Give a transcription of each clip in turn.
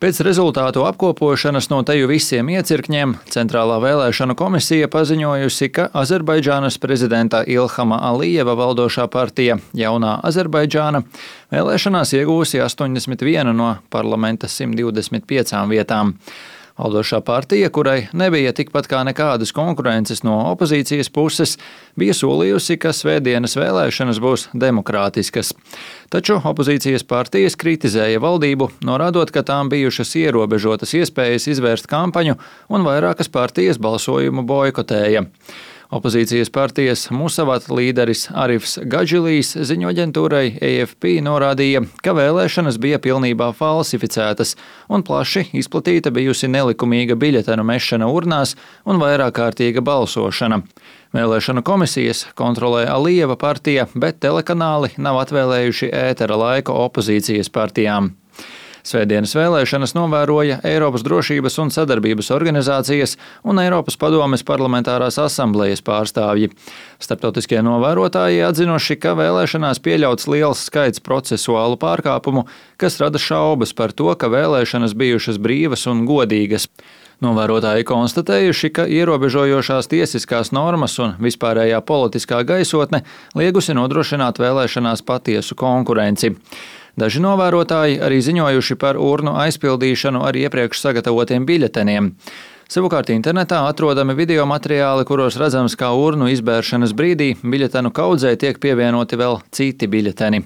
Pēc rezultātu apkopošanas no teju visiem iecirkņiem Centrālā vēlēšanu komisija paziņojusi, ka Azerbaidžānas prezidenta Ilhama Alijeva valdošā partija Jaunā Azerbaidžāna vēlēšanās iegūsi 81 no parlamenta 125 vietām. Valdošā partija, kurai nebija tikpat kā nekādas konkurences no opozīcijas puses, bija solījusi, ka svētdienas vēlēšanas būs demokrātiskas. Taču opozīcijas partijas kritizēja valdību, norādot, ka tām bijušas ierobežotas iespējas izvērst kampaņu un vairākas partijas balsojumu boikotēja. Opozīcijas partijas Musavat līderis Arifs Gadžilijs ziņoaģentūrai AFP norādīja, ka vēlēšanas bija pilnībā falsificētas un plaši izplatīta bijusi nelikumīga biļetenu mešana urnās un vairākkārtīga balsošana. Vēlēšanu komisijas kontrolē Alijeva partija, bet telekanāli nav atvēlējuši ētera laiku opozīcijas partijām. Svētdienas vēlēšanas novēroja Eiropas drošības un sadarbības organizācijas un Eiropas padomes parlamentārās asamblejas pārstāvji. Starptautiskie novērotāji atzinuši, ka vēlēšanās pieļauts liels skaits procesuālu pārkāpumu, kas rada šaubas par to, ka vēlēšanas bijušas brīvas un godīgas. Novērotāji konstatējuši, ka ierobežojošās tiesiskās normas un vispārējā politiskā gaisotne liegusi nodrošināt vēlēšanās patiesu konkurenci. Daži novērotāji arī ziņojuši par urnu aizpildīšanu ar iepriekš sagatavotiem biļeteniem. Savukārt internetā atrodami video materiāli, kuros redzams, kā urnu izbēršanas brīdī biļetenu kaudzē tiek pievienoti vēl citi biļeteni.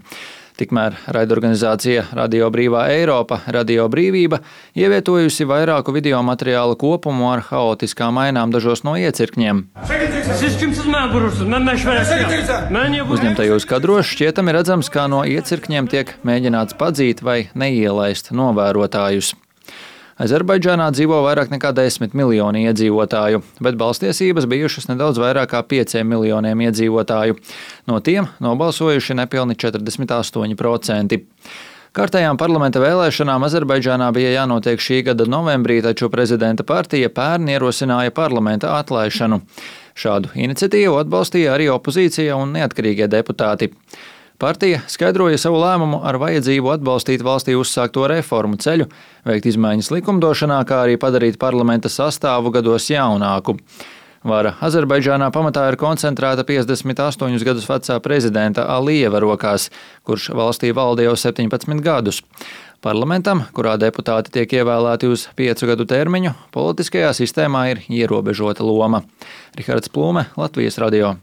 Tikmēr raidorganizācija Radio Brīvā Eiropa, Radio Brīvība, ievietojusi vairāku video materiālu kopumu ar haotiskām ainām dažos no iecirkņiem. Uzņemtajos kadros šķietami redzams, kā no iecirkņiem tiek mēģināts padzīt vai neielaist novērotājus. Azerbaidžānā dzīvo vairāk nekā 10 miljoni iedzīvotāju, bet balstiesības bijušas nedaudz vairāk kā 5 miljoniem iedzīvotāju. No tiem nobalsojuši nepilni 48%. Kārtējām parlamenta vēlēšanām Azerbaidžānā bija jānotiek šī gada novembrī, taču prezidenta partija pērn ierosināja parlamenta atlaišanu. Šādu iniciatīvu atbalstīja arī opozīcija un neatkarīgie deputāti. Partija skaidroja savu lēmumu ar vajadzību atbalstīt valstī uzsākto reformu ceļu, veikt izmaiņas likumdošanā, kā arī padarīt parlamenta sastāvu gados jaunāku. Vara Azerbaidžānā pamatā ir koncentrēta 58 gadus vecā prezidenta Alijeva rokās, kurš valstī valda jau 17 gadus. Parlamentam, kurā deputāti tiek ievēlēti uz 5 gadu termiņu, politiskajā sistēmā ir ierobežota loma. Rihards Plūme, Latvijas radio.